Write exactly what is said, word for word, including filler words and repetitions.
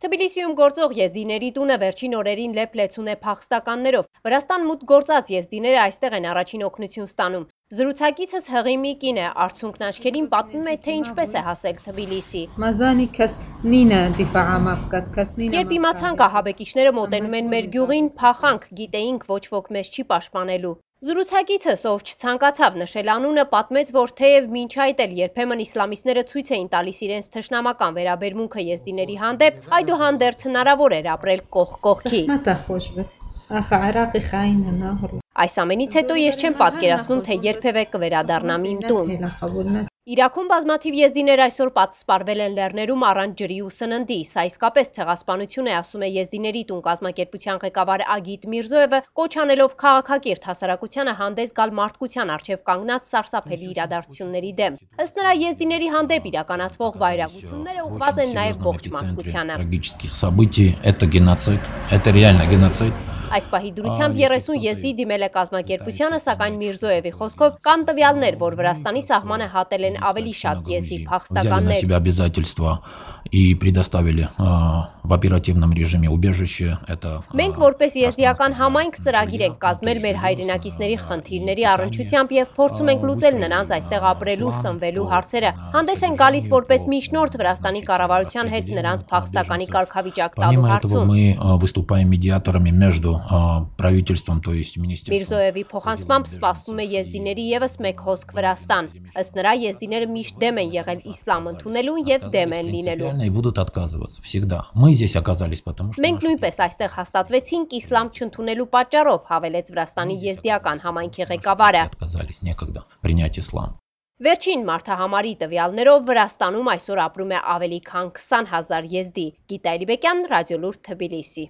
Թբիլիսիում գործող եզդիների տունը վերջին օրերին լեփ-լեցուն է փախստականներով։ Վրաստան մուտք գործած եզդիները այստեղ են առաջին օգնություն ստանում։ Զրուցակիցս հղի մի կին է, արցունքն աչքերին պատմում է, թե ինչպես է հասել Թբիլիսի։ Երբ իմացանք ահաբեկիչները մոտենում են մեր գյուղին, փախանք, գիտեինք ոչ ոք մեզ չի պաշտպանելու։ Զրուցակիցս, ով չցանկացավ նշել անունը, պատմեց, որ թեև մինչ այդ էլ երբեմն իսլամիստները ցույց էին տալիս իրենց թշնամական վերաբերմունքը եզդիների հանդեպ, այդուհանդերձ հնարավոր էր ապրել կողք կողքի։ Այս ամենից հետո ես չեմ պատկերացնում, թե երբևէ կվերադառնամ իմ տուն։ Իրաքում բազմաթիվ եզդիներ այսօր պատսպարվել են լեռներում առանց ջրի ու սննդի։ Սա իսկապես ցեղասպանություն է, ասում է Եզդիների տուն կազմակերպության ղեկավար Ագիտ Միրզոևը, կոչ անելով քաղաքակիրթ հասարակությանը հանդես գալ մարդկության առջև կանգնած սարսափելի իրադարձությունների դեմ։ Ըստ նրա, եզդիների հանդեպ իրականացվող վայրագությունները ուղղված են նաև ողջ մարդկությանը։ Այս պահի դրությամբ երեսուն եզդի դիմել է կազմակերպությանը, սակայն Միրզոևի խոսքով կան տվյալներ, որ Վրաստանի սահմանը հատել են ավելի շատ եզդի փախստականներ։ Մենք որպես եզդիական համայնք ծրագիր ենք կազմել մեր հայրենակիցների խնդիրների առնչությամբ եւ փորձում ենք լուծել նրանց այստեղ ապրելու, սնվելու հարցերը։ Հանդես են գալիս որպես միջնորդ Վրաստանի կառավարության հետ նրանց փախստականի կարգավիճակ տալու հարցում։ Միրզոևի փոխանցմամբ սպասվում է եզդիների ևս մեկ հոսք Վրաստան։ Ըստ նրա, եզդիները միշտ դեմ են եղել իսլամ ընդունելուն եւ դեմ են լինելու։ Մենք նույնպես այստեղ հաստատվեցինք իսլամ չընդունելու պատճառով, հավելեց Վրաստանի եզդիական համայնքի ղեկավարը։ Վերջին մարդահամարի տվյալներով Վրաստանում այսօր ապրում է ավելի քան քսան հազար եզդի։ Գիտա Էլիբեկյան, Ռադիոլուրդ, Թբիլիսի։